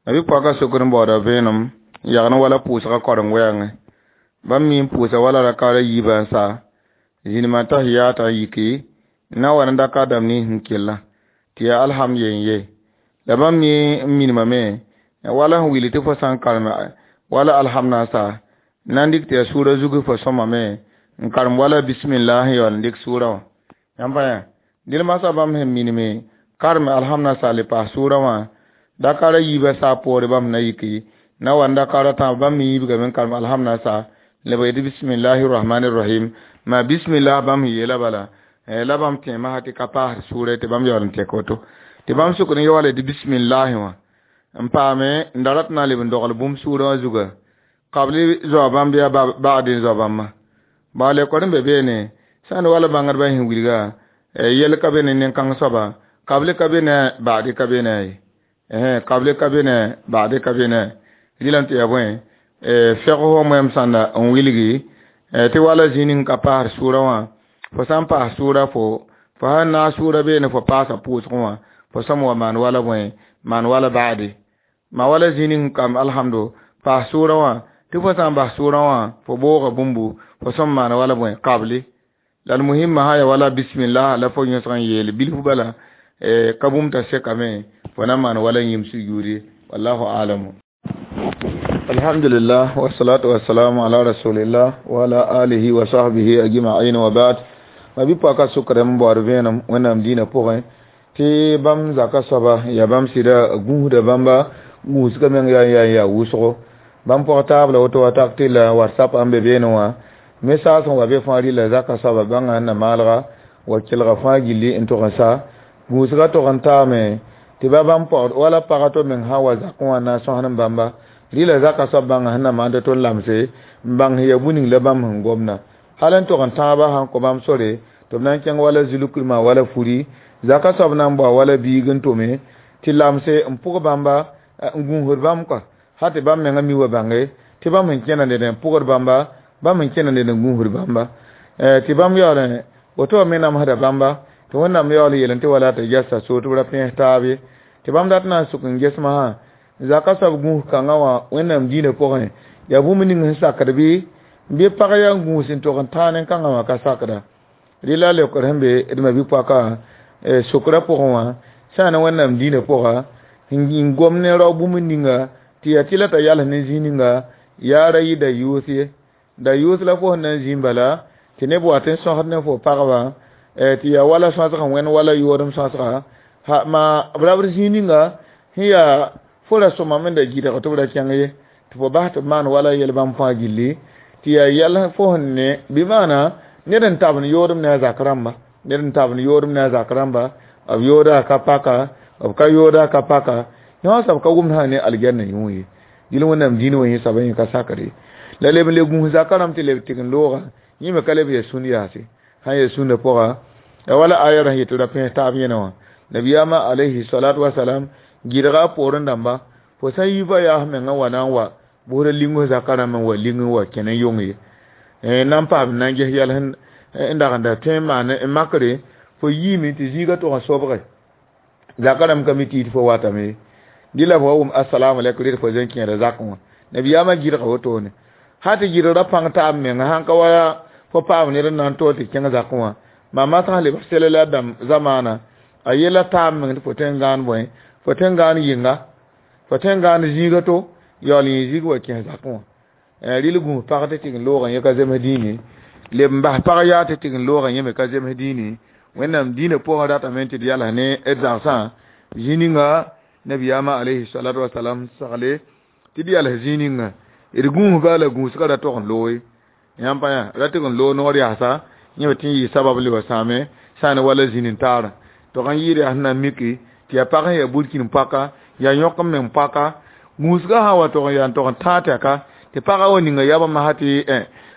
Nabi pɔka sokr n baooda vẽenem n yagn wala pʋʋsgã koreng wɛɛngẽ. Bãmb mi n pʋʋsa wala rakaara yiibã n sa, zĩnimã tahiyata n yiki, n na n wa ne dakar dãmb nins n kellã, tɩ yaa alhamd yen ye. La bãmb mi n minimame, wala sẽn wilg tɩ fo sã n karem wala alhamd na n sa, na n dɩk tɩ yaa sʋʋra zug fo sõmame n karem wala bismillah n yaool n dɩk sʋʋra wã. Yãmb pa yã, dɩl masã bãmb sẽn minime karem alhamd na sa le paas sʋʋra wã, dakara yiibã saa poore bãmb na yiki, na wa n dakara tãab bãmb me yiibgame n karem alhamd na sa, lebg yetɩ bismillahi rahmani rahim. Ma bismillah bãmb sẽn yeela bala, la bãmb tẽ masã tɩ ka paasd sʋʋra tɩ bãmb yaool n tɛk woto. Tɩ bãmb sʋkd n yaool tɩ bismillahi wã n paame n da rat na n leb n dogl bũmb sʋʋrã wã zuga. Kabli zoa bãmb yaa bagd n zoa bãmba. Baa lekor n be beene, sã n wala bãngdbã sẽn wilga, yɛl ka be ne nen-kãng soaba, kabli ka be ne baadi ka be ne ye. Kabli ka be ne baadi ka be ne. Rɩlame tɩ yaa bõe, fɛg fo moɛm sãnda n wilgi, tɩ wala zĩig ning ka paasd sʋʋrã wã, fo sã n paas sʋʋra fo sãn naag sʋʋra beene fo paasa pʋʋsgẽ wã, fo sõm wa maan wala bõe, maan wala baadi. Ma wala zĩig ning kam alhamdo, paas sʋʋrã wã, tɩ fo sã n bas sʋʋrã wã, fo booga bũmbu, fo sõm maan wala bõe, kabli. La l muhimma sã ya wala bismillah la fo yõsg n yeel bilf bala, ka bũmb t'a sekame, fo na maan wala yĩm sujuudi, wallahu alamu. Alhamdulillah, wassalatu wassalamu ala rasulillah wa ala alihi wa sahbihi ajma'in wa ba'd. Ma bi pɔka sʋkrem n baood vẽenem Wẽnnaam dĩinã pʋgẽ, tɩ bãmb zaka soaba yaa bãmb sɩda gũusda bãmba, gũusgã meng yaa n yaa n yaa wʋsgo. Bãmb pɔg taab la woto watak tɩ la WhatsApp n be beene wã, message sẽn wa be fãa rɩla zaka soaba bãnga sẽn na maalga wa kelga fãa gilli n tʋg n sa. Gũusgã tʋg n taame tɩ ba bãmb pɔgd wala pagã to meng sã n wa zakẽ wã na n sõsd n bãmba, rɩla zaka soab bãnga sẽn na maan tɩ tõnd lamse n bãng sẽn yaa bũ-ning la bãmb sẽn gomda. Hal n tʋg n tãabã sãn kõ bãmb sore tɩ b na n kẽng wala zulkrmã wala furi, zaka soab na n bao wala biig n tʋme tɩ lamse n pʋg bãmba, n gũusd bãmb kɔa, sã tɩ bãmb menga mi wa bãnge tɩ bãmb sẽn kẽna ned n pʋgd bãmba, bãmb sẽn kẽna ned n gũusd bãmba. Tɩ bãmb yaool woto wã me namsda bãmba, tɩ Wẽnnaam yaool yeel tɩ wala tɩ gɛsa so tɩ b ra pẽes taab ye. Tɩ bãmb dat na n sʋk n ges masã, zaka soab gũus kãngã wã Wẽnnaam dĩinã pʋgẽ, yaa bũmb ning sẽn sakd bɩ, bɩ pag yaa n gũus n tʋg n tãag nen-kãngã wã ka sakda. Rɩla leokr sẽn be d ma-bi-poakã sokrã pʋgẽ wã, sã n ne Wẽnnaam dĩinã pʋga, n gom ne rao bũmb ninga, tɩ yaa tɩ la t'a yals ne zĩig ninga, yaa ra yɩ da yʋʋs ye. Da yʋʋs la fo sẽn na n zĩig bala, tɩ neb wa tɩ n sõsd ne fo pagba, tɩ yaa wala sõsg n wẽnd wala yoodem sõsga, ha ma b ra b zĩig ninga sẽn yaa fo ra sõmame n da gɩdg tɩ b ra kẽng ye, tɩ fo bas tɩ b maan wala yɛl bãmb fãa gilli, tɩ yaa yɛl fo sẽn ne, bɩ maana ned n tabend yoodem ne a zak rãmba, ned n tabend yoodem ne a zak rãmba, b yooda ka paka, b ka yooda ka paka, yõ soab ka wʋmd sã ne algɛrnã yũ ye. Dɩl Wẽnnaam dĩin wã yẽ soabã yẽ ka sakr ye. La leb n le gũus zakã rãmb tɩ leb tɩg n looga, yẽ me ka leb yaa sũn yaase. Sã n yaa sũnã pʋga, ya wala aya sẽn yetɩ ra pẽes taab yẽna wã. Nabiyaamã alayhi salatu wasalam gɩdga a poorẽ dãmba, fo sã n yi va yaas mengã wa na n wa, bʋsd ling zakã rãmb n wa ling n wa kẽ ne yong ye. Na n paam na n ges yɛl n dag n da tõe n maan n makre, fo yiime tɩ zĩigã tʋg n sobge. Zakã rãmb ka mi tɩ yit fo watame ye. Dɩ la fo wa wʋm assalamu alaikum rɩd fo zẽn kẽeda zakẽ wã. Nabiyaamã gɩdga wotone. Sã tɩ gɩdg ra pãng taab menga, sãn ka wa fo paam ned n na n toog tɩ kẽng zakẽ wã, maa masã lebg sel la dãmb zamaana, a yella taab meng tɩ fo tõe n gãan bõe, fo tõe n gãan yɩnga, fo tõe n gãan zĩiga to, yaool yẽ zĩig wa kẽes zakẽ wã. Rɩl gũus pag tɩ tɩg n loogã yẽ ka zems dĩine. Leb n bas pag yaa tɩ tɩg n loogã yẽ me ka zems dĩini. Wẽnnaam dĩinã pʋgã ratame tɩ d yals ne d zagsã zĩ ninga nabiyaamã alayhi salatu wasalam sagle tɩ d yals zĩ ninga d gũusba la gũusgã ra tog n looye. Yãmb pa yã ra tɩg n loog noor yaasa yẽ me tɩ n yɩ sabab n le wa sãame sã n wala zĩn n taarã. Tog n yɩɩd yaa sẽn na n miki tɩ yaa pag sẽn yaa burkĩn paka yaa yõk n meng paka gũusgã sã wa tog n yaa n tog n tãag tɛka tɩ pagã wa ninga yabã masã tɩ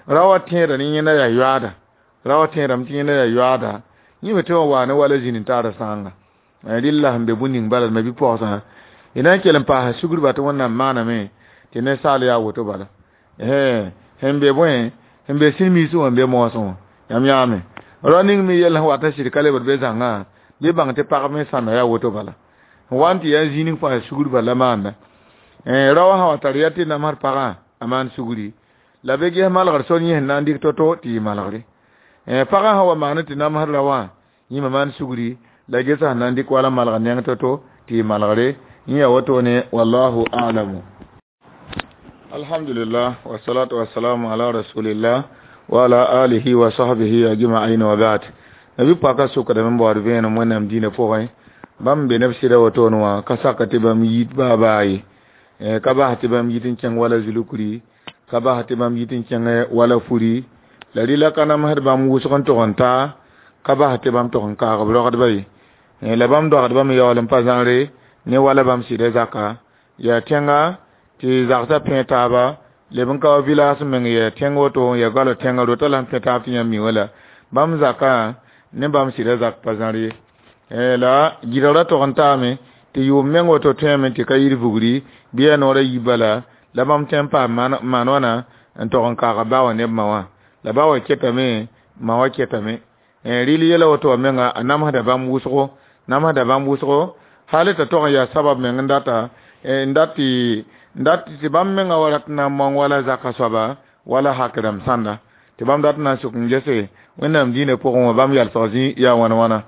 ra wa tẽedã ne yẽnda yaa yoaada ra wa tẽedame tɩ yẽnda yaa yoaada yẽ me tɩ wa waa ne wala zĩn n taarã sãanga. Rɩlla sẽn be bũn ning bala ma bi-pogsã y na n kell n paasa sugr-ba tɩ Wẽnnaam maaname tɩ ninsaal yaa woto bala. Sẽn be bõe sẽn be sĩn-miisẽ wã n be moosẽ wã yãmb yãame rao ning me yell sẽn wat n sɩd ka lebd be zãngã bɩ bãng tɩ pagb me sãnda yaa woto bala. Wa n tɩ yaa zĩ ning fãa sugr-ba la maanda. Rao sã wa tar yaa tɩ namsd pagã a maan sugri la be ges malgr sor yẽ sẽn na n dɩk to-to tɩ yɩ malgre. Pagã sã wa maand tɩ namsd ra wã yẽ me maan sugri la gesa sẽn na n dɩk wala malgr neng to-to tɩ yɩ malgre yẽ yaa wotone wallahu a'lamu. Alhamdulillah wassalatu wassalamu ala rasulillah wa ala alihi wa sahbihi ajma'in wa ba'd. Nabi paka sokdame n baood vẽenem Wẽnnaam dĩinã pʋgẽ bãmb be neb sɩda wotone wã ka saka tɩ bãmb yit baa baa ye ka bas tɩ bãmb yit n kẽng wala zulukri ka bas tɩ bãmb yit n kẽng wala furi la rɩla ka namsd bãmb wʋsg n tog n taa ka bas tɩ bãmb tog n kaag b rogdba ye la bãmb dogdbã me yaool n pa zãngre ne wala bãmb sɩda zaka yaa tẽnga tɩ zagsã pẽ taaba leb n ka wa village meng yaa tẽng woto n yaa goala tẽngã rota la sẽn pẽ taab tɩ yãmb mi wã la bãmb zakã ne bãmb sɩda zak pa zãr ye la gɩdgrã tog n taame tɩ yʋʋm meng woto tõeme tɩ ka yir vugri bɩ yaa noorã yi bala la bãmb tõe n paam maan wãna n tog n kaaga ba wã neb ma wã la ba wã ketame ma wã ketame rɩl yɛla woto wã menga a namsda bãmb wʋsgo namsda bãmb wʋsgo hal t'a tog n yaa sabab meng n data n dat tɩ bãmb menga wa rat n na n mong wala zaka soaba wala hak rãmb sãnda tɩ bãmb dat n na n sʋk n gese Wẽnnaam dĩinã pʋgẽ wã bãmb yalsg zĩ yaa wãn wãna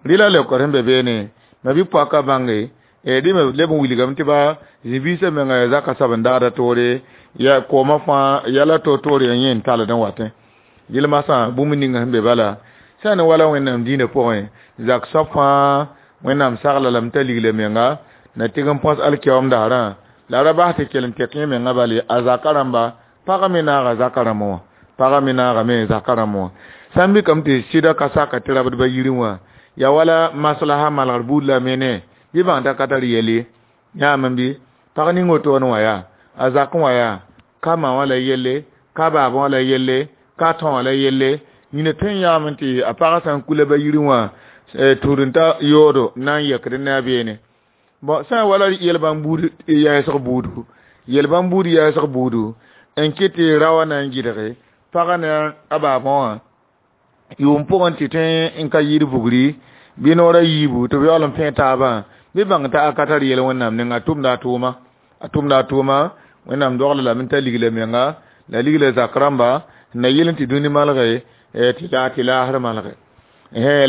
rɩla leokr sẽn be beene ma bi-poaka bãnge dẽ me leb n wilgame tɩ ba zĩ-biisã menga yaa zaka soab n daada toore ya koomã fãa yɛla to-toore yẽ n tald n watẽ yɩl masã bũmb ninga sẽn be bala sã n wala Wẽnnaam dĩinã pʋgẽ zak soab fãa Wẽnnaam sagla lame t'a ligla menga na tɩg n põs alkiyaoom daarã la ra bas tɩ kell n tek yẽ menga bale a zaka rãmba pagã me naaga zaka rãmb wã pagã me naagame zaka rãmb wã sã n mikame tɩ sɩda ka saka tɩ rabdba yirẽ wã yaa wala maslaha malgr buud la mene bɩ bãng t'a ka tar yɛl ye yãame bɩ pag ning wotone wã yaa a zakẽ wã yaa ka ma wã la yelle ka baabã wã la yelle ka tõ wã la yelle yĩna tõe n yaame tɩ a pagã sã n kula ba yirẽ wã tũud-n-ta yoodo na n yɛkd ne a beene bon sã n wala yel-bãmb buud yaɛsg buudu yel-bãmb buud yaɛsg buudu n kɩt tɩ ra wã na n gɩdge pagã ne a baabã wã yʋʋm pʋgẽ tɩ tõe n ka yɩɩd vugri bɩ noorã yiibu tɩ b yaool n pẽ taabã bɩ bãng t'a ka tar yɛl Wẽnnaam ninga a tʋmda a tʋʋma a tʋmda a tʋʋma Wẽnnaam dogla lame t'a ligla menga la ligla zak rãmba na yɩl n tɩ dũni malge tɩ laasr malge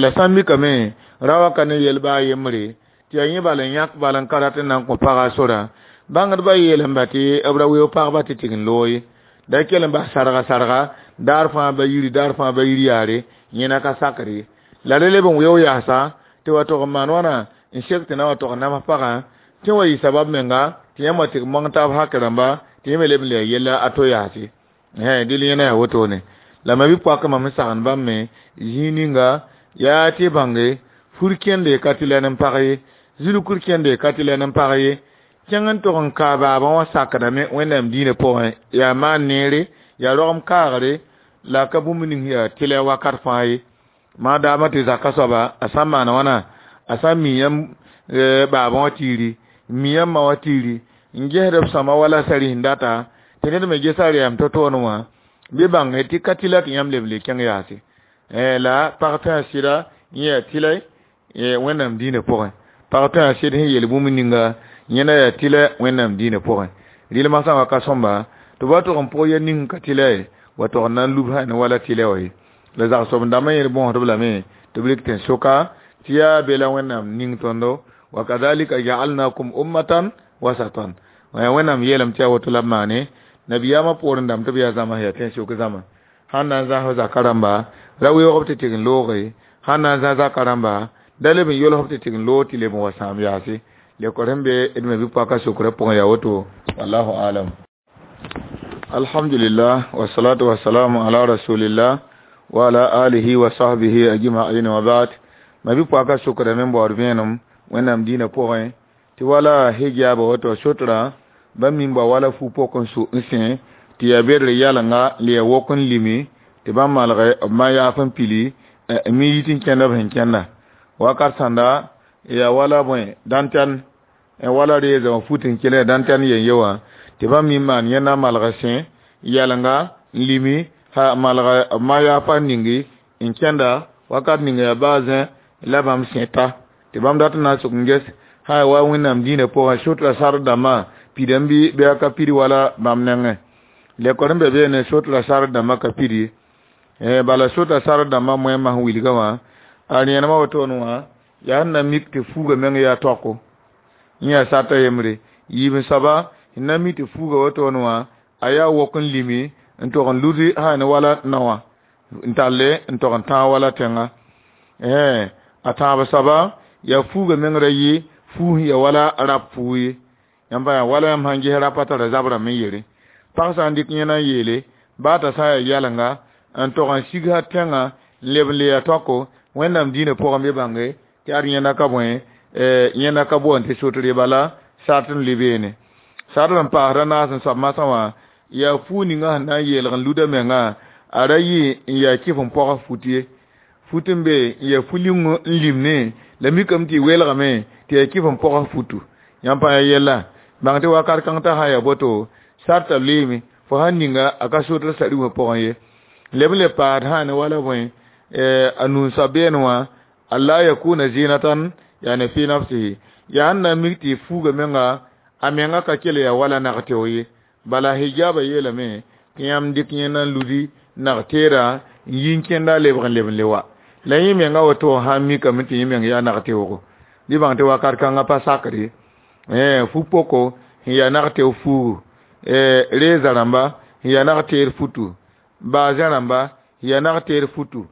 la sã n mikame ra wa ka ne yɛl baa yembre tɩ yaa yẽ bal n yãk bal n ka rat n na n kõ pagã sorã bãngdbã yeelame tɩ b ra weoog pagba tɩ tɩg n loog ye da kell n bas sarga sarga daar fãa ba yiri daar fãa ba yiri yaare yẽna ka sakr ye la re leb n weoog yaasa tɩ wa tog n maan wãna n sek tɩ na wa tog n nams pagã tɩ wa yɩ sabab menga tɩ yãmb wa tɩg mõng taab hak rãmba tɩ yẽ me leb n lɛa yella a to yaase dɩl yẽna yaa wotone la ma bi-poakã mam n sagend bãmb me zĩig ninga yaa tɩ bãnge fur kẽnde ka tɩ lɛn n pag ye zulkur kẽnde ka tɩ lɛn n pag ye kẽng n tog n kaa baabã wã sakdame Wẽnnaam dĩinã pʋgẽ yaa maan neere yaa rogem kaagre la ka bũmb ning yaa tɩlɛ wakat fãa ye maa daamã tɩ zaka soaba a sã n maan wãna a sã n mi yãmb baabã wã tiiri n mi yãmb ma wã tiiri n gesd b sõma wala sari sẽn data tɩ ned me gesa rɛɛm to-toone wã bɩ bãnge tɩ ka tɩla tɩ yãmb leb n le kẽng yaase la pag tõe a sɩda yẽ yaa tɩlɛ Wẽnnaam dĩinã pʋgẽ pag tõe a sɩd sẽn yel bũmb ninga yẽna yaa tɩlɛ Wẽnnaam dĩinã pʋgẽ rɩl masã wa ka sõmba tɩ b wa tog n pʋg ya ning ka tɩlɛ wa tog n na n lub sã ne wala tɩlɛ wã ye la zagsob dãmbã yẽ bõosdb lame tɩ b rɩk tɩ n soka tɩ yaa be la Wẽnnaam ning tõndo wa kadhalika ja'alnakum ummatan wasatan Wẽnnaam yeelame tɩ yaa woto la b maane nabiyaamã poorẽ dãmb tɩ b yaa zãma yaa tẽn-sʋk zãma Sãn na n zãs zaka rãmba, ra weoog b tɩ tɩg n looge. Sãn na n zãs zaka rãmba, da leb n yolg b tɩ tɩg n loog tɩ leb n wa sãam yaase. Lekor sẽn be d ma-bi-poakã sokrã pʋgẽ yaa woto. Wallahu alam. Alhamdulillah, wassalatu wassalamu ala rasulillah wa ala alihi wa sahbihi ajma'in wa ba'd. Ma-bi-poakã sokrame n baood vẽenem Wẽnnaam dĩinã pʋgẽ tɩ wala hijaaba woto sotrã bãmb mimba wala fu-pok n su n sẽ tɩ yaa bedr yalenga n yaa wok n limi tɩ bãmb malge b ma yaaf n pili n mi yit n kẽnda b sẽn kẽnda wakat sãnda yaa wala bõe dãntɛn wala reeza wã fut n kelẽ dãntɛn yen ye wã tɩ bãmb mi maan yẽnda malg sẽ yalenga n limi ha malg b ma yaafa ningi n kẽnda wakat ninga yaa baa zẽ la bãmb sẽta tɩ bãmb dat n na n sʋk n ges ha wa Wẽnnaam dĩinã pʋgẽ sotra sar dãmbã pidame bɩ bɩ a ka pid wala bãmb nengẽ. Lekor n be beene sotra sar dãmbã ka pid ye, bala sotra sar dãmbã moẽmã sẽn wilga wã a rẽenemã wotone wã yaa sẽn na mik tɩ fuuga meng yaa taoko yẽ yaa sarta yembre. Yiib n soaba sẽn na mi tɩ fuuga wotone wã a yaa wok n limi n tog n ludi sã ne wala naowã n talle n tog n tãag wala tẽnga. A tãab soaba yaa fuuga meng ra yɩ fuus ya wala rap fuu ye. Yãmb yaa wala yãmb sãn ges rapa tara zabrame n yere pag sã n dɩk yẽna n yeele baa t'a sã n yaa yalenga n tog n sigsã tẽngã n leb n le yaa taoko Wẽnnaam dĩinã pʋgẽ bɩ bãnge tɩ ad yẽnda ka bõe yẽnda ka boond tɩ sotr ye bala sart n lʋɩ beene. Sart n paasd a naas n soab masã wã yaa fuu ninga sẽn na n yeelg n luda menga a ra yɩ n yaa kɩf n pɔgs fut ye fut n be n yaa fu-ling n limne la mikame tɩ y welgame tɩ yaa kɩf n pɔgs futu. Yãmb pãa yaa yella bãng tɩ wakat kãng t'a sã n yaa boto sarta lʋɩɩme fo sãn ninga a ka sotr sa-rĩmã pʋgẽ ye. Leb n le paasd sã ne wala bõe a nuu soab beene wã alla yakuna zinatan yani fi nafsihi yaa sẽn na n mik tɩ fuuga menga a menga ka kell yaa wala nag-teo ye. Bala hijaba yeelame tɩ yãmb dɩk yẽnda n ludi nag-teerã n yi n kẽnda lebg n leb n le wa la yẽ menga woto sã n mikame tɩ yẽ meng yaa nag-teoogo bɩ bãng tɩ wakat kãngã pa sakr ye. Fu-poko sẽn yaa nag-teo fuugu reeza rãmba sẽn yaa nag-teer futu baazẽ rãmba sẽn yaa nag-teer futu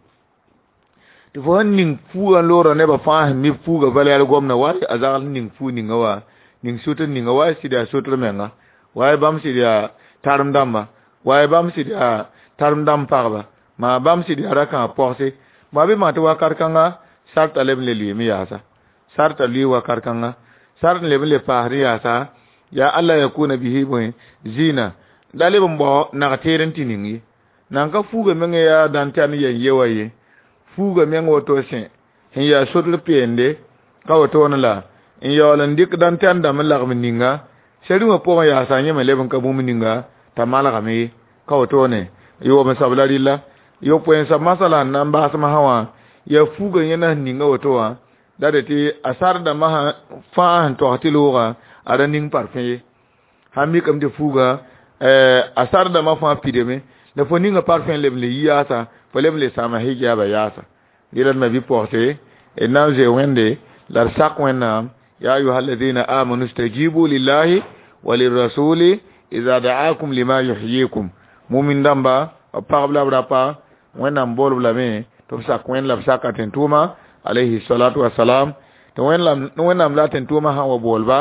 tɩ fo sẽn ning fuugã n loora nebã fãa sẽn mi fuuga valɛɛr gomdã wa a zagl sẽn ning fuu ninga wã ning sotr ninga wa sɩd yaa sotr menga wa bãmb sɩd yaa tarem dãmba wa bãmb sɩd yaa tarem dãmb pagba maa bãmb sɩd yaa rakãag pɔgse maa bɩ bãng tɩ wakat kãnga sarta leb n le lʋɩɩme yaasa sarta lʋɩ wakat kãnga sart n leb n le paasd yaasa yaa alla yakuna bihi bõe zĩna da leb n bao nag-teer n tɩ ning ye nan ka fuuga meng yaa dãn-tɛn yen ye wa ye fuuga meng woto sẽ sẽn yaa sotr peende ka wotone la n yaool n dɩk dãn-tɛn dãmb n lagem ninga sɛ-rĩmã pʋgẽ yaasa yẽ me leb n ka bũmb ninga t'a malgame ye ka wotone yoob n soab la rɩlla yopoe n soab masã la n na n baas masã wã yaa fuuga yẽnda sẽn ninga woto wã la de tɩ a sar dãmbã fãa sẽn togs tɩ loogã a ra ning parfẽ ye sãn mikame tɩ fuuga a sar dãmbã fãa pidame la fo ninga parfẽ leb n le yi yaasa fo leb n le sãama hijaaba yaasa rɩla d ma bi-pɔgse d na n zoe Wẽnde la d sak Wẽnnaam ya ayuha alladina amanu stajibu lillahi wa lirrasuli ida da'akum lima yuhyikum mumin dãmba b pagb la b rapa Wẽnnaam boolb lame tɩ b sak Wẽnd la b saka tẽn-tʋʋma alayhi salatu wasalam tɩ Wẽnnaam la tẽn-tʋʋmã sã n wa boolba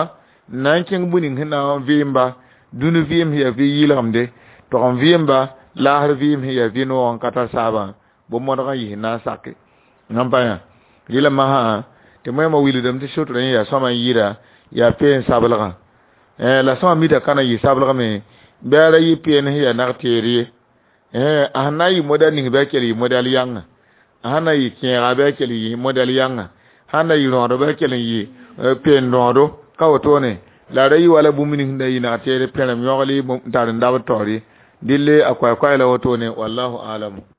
n na n kẽng bũ ning sẽn na n vɩɩmba dũni vɩɩm sẽn yaa vɩ yɩlgemde tog n vɩɩmba laasr vɩɩm sẽn yaa vɩ noog n ka tar saabã bõn-modg n yɩs n na n sake yãmb pa yã rɩla masã tɩ moẽmã wilgdame tɩ sotrã yẽ yaa sõma n yɩɩda yaa peen sablgã la sõma mita ka na n yɩ sablgame bɩ a ra yɩ peen sẽn yaa nag-teer ye a sẽn na n yɩ modɛl ning bɩ a kell yɩ modɛl yãnga a sẽn na yɩ kẽega bɩ a kell yɩ modɛl yãnga sãn na yɩ rõado bɩ a kell n yɩ peen rõado ka wotone la ra yɩ wala bũmb ning sẽn da yɩ nag-teer pẽrem yõgl n tar n dabd taoor ye dille a koɛɛ-koɛɛ la wotone wallahu alam.